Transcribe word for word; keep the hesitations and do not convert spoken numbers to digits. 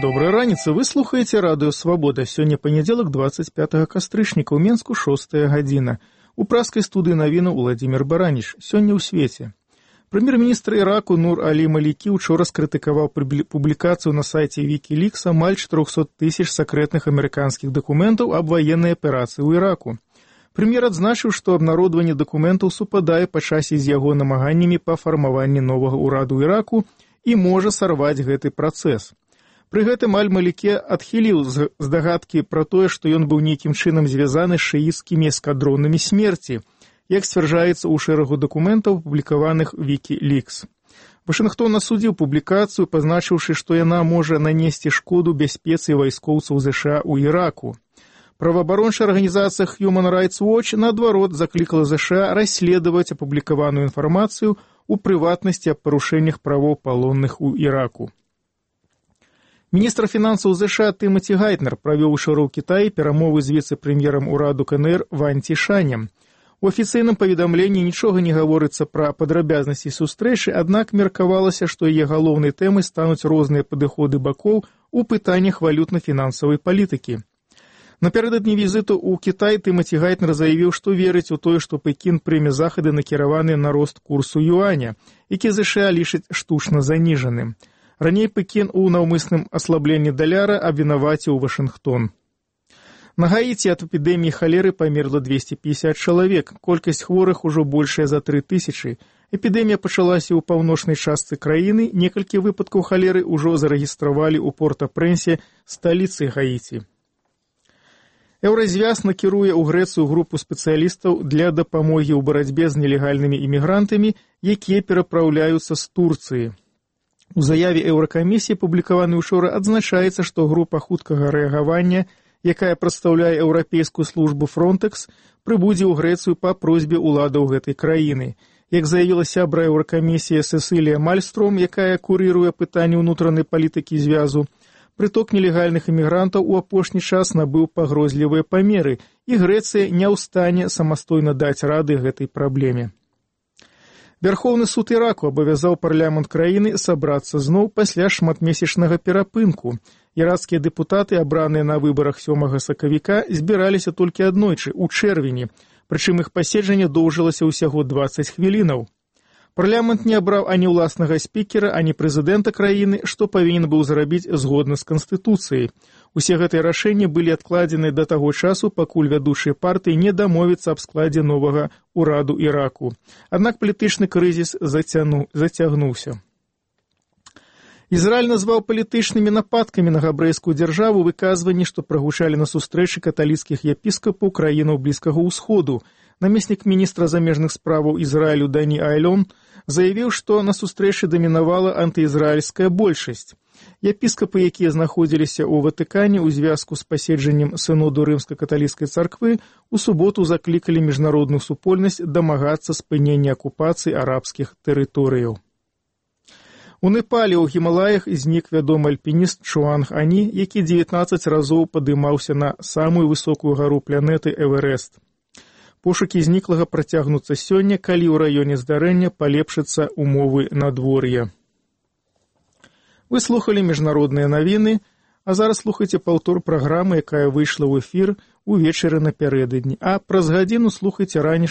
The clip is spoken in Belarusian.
Доброй раніцы, вы слухаеце радыё «Свабода». Сёння панядзелак, двадцать пятага кастрычніка, ў Менску шостая гадзіна. У праскай студыі навінаў Уладзімір Бараніч. Сёння ў свеце. Прэм'ер-міністр Іраку Нур Алі Малікі учора скрытыкаваў публікацыю на сайце Wikileaks амаль чатырохсот тысяч сакрэтных амерыканскіх дакументаў аб ваеннай аперацыі ў Іраку. Прэм'ер адзначыў, што абнародаванне дакументаў супадае па часе з яго намаганнямі па фармаванні новага ўраду Іраку і можа сарваць гэты працэс. Пры гэтым Аль-Малікі адхіліў здагадкі пра тое, што ён быў нейкім чынам звязаны з шыіцкімі эскадронамі смерці, як сцвярджаецца ў шэрагу дакументаў, апублікаваных Wikileaks. Вашынгтон асудзіў публікацыю, пазначыўшы, што яна можа нанесці шкоду бяспецы вайскоўцаў ЗША ў Іраку. Праваабарончая арганізацыя Human Rights Watch, наадварот, заклікала ЗША расследаваць апублікаваную інфармацыю, у прыватнасці аб парушэннях правоў палонных у Іраку. Міністр фінансаў ЗША Тымаці Гайтнер правёў учора ў Кітаі перамовы з віцэ-прэм'ерам ураду КНР Вань Цішанем. У афіцыйным паведамленні нічога не гаворыцца пра падрабязнасці сустрэчы, аднак меркавалася, што яе галоўнай тэмай стануць розныя падыходы бакоў у пытаннях валютна-фінансавай палітыкі. Напярэдадні візіту ў Кітай Тымаці Гайтнер заявіў, што верыць у тое, што Пекін прыме захады накіраваныя на рост курсу юаня, які ЗША лічыць штучна заніжаным. Раней Пекін у наўмысным аслабленні даляра абвінаваціў Вашынгтон. На Гаіці ад эпідэміі халеры памерла двесце пятьдесят чалавек, колькасць хворых ужо большая за тры тысячы. Эпідэмія пачалася ў паўночнай частцы краіны, некалькі выпадкаў халеры ўжо зарэгістравалі ў Порта-Прэнсе, сталіцы Гаіці. Еўразвяз накіруе ў Грэцыю групу спецыялістаў для дапамогі ў барацьбе з нелегальнымі імігрантамі, якія перапраўляюцца з Турцыі. У заяве Еўракамісіі, публікаванай учора, адзначаецца, што група хуткага рэагавання, якая прадстаўляе еўрапейскую службу Фронтэкс, прыбудзе ў Грэцыю па просьбе ўладаў гэтай краіны. Як заявіла сябра Еўракамісіі Сесілія Мальстром, якая курыруе пытанні ўнутранай палітыкі звязу, прыток нелегальных імігрантаў у апошні час набыў пагрозлівыя памеры, і Грэцыя не ў стане самастойна даць рады гэтай праблеме. Вярхоўны суд Іраку абавязаў парламент краіны сабрацца зноў пасля шматмесячнага перапынку. Іракскія дэпутаты, абраныя на выбарах сёмага сакавіка, збіраліся толькі аднойчы, у чэрвені, прычым іх паседжанне доўжылася ўсяго дваццаць хвілінаў. Парламент не абраў ані ўласнага спікера, ані прэзідэнта краіны, што павінен быў зрабіць згодна з Канстытуцыяй. Усе гэтыя рашэнні былі адкладзены да таго часу, пакуль вядучыя партыі не дамовяцца аб складзе новага ўраду Іраку. Аднак палітычны крызіс зацяну... зацягнуўся. Ізраіль назваў палітычнымі нападкамі на габрэйскую дзяржаву выказванні, што прагучалі на сустрэчы каталіцкіх епіскапаў краінаў Блізкага ўсходу. Намеснік міністра замежных справаў Ізраілю Дані Айлон заявіў, што на сустрэчы дамінавала антыізраільская большасць. Епіскапы, якія знаходзіліся ў Ватыкане ў звязку з паседжаннем сыноду рымска-каталіцкай царквы, у суботу заклікалі міжнародную супольнасць дамагацца спынення акупацыі арабскіх тэрыторыяў. У Непале ў Гімалаях знік вядомы альпініст Чуанг Ані, які дзевятнаццаць разоў падымаўся на самую высокую гару планеты Эверест. Пошукі зніклага працягнуцца сёння, калі ў раёне здарэння палепшацца умовы надвор'я. Вы слухалі міжнародныя навіны, а зараз слухайце паўтор праграмы, якая выйшла ў эфір увечары напярэдадні, а праз гадзіну слухайце ранішнюю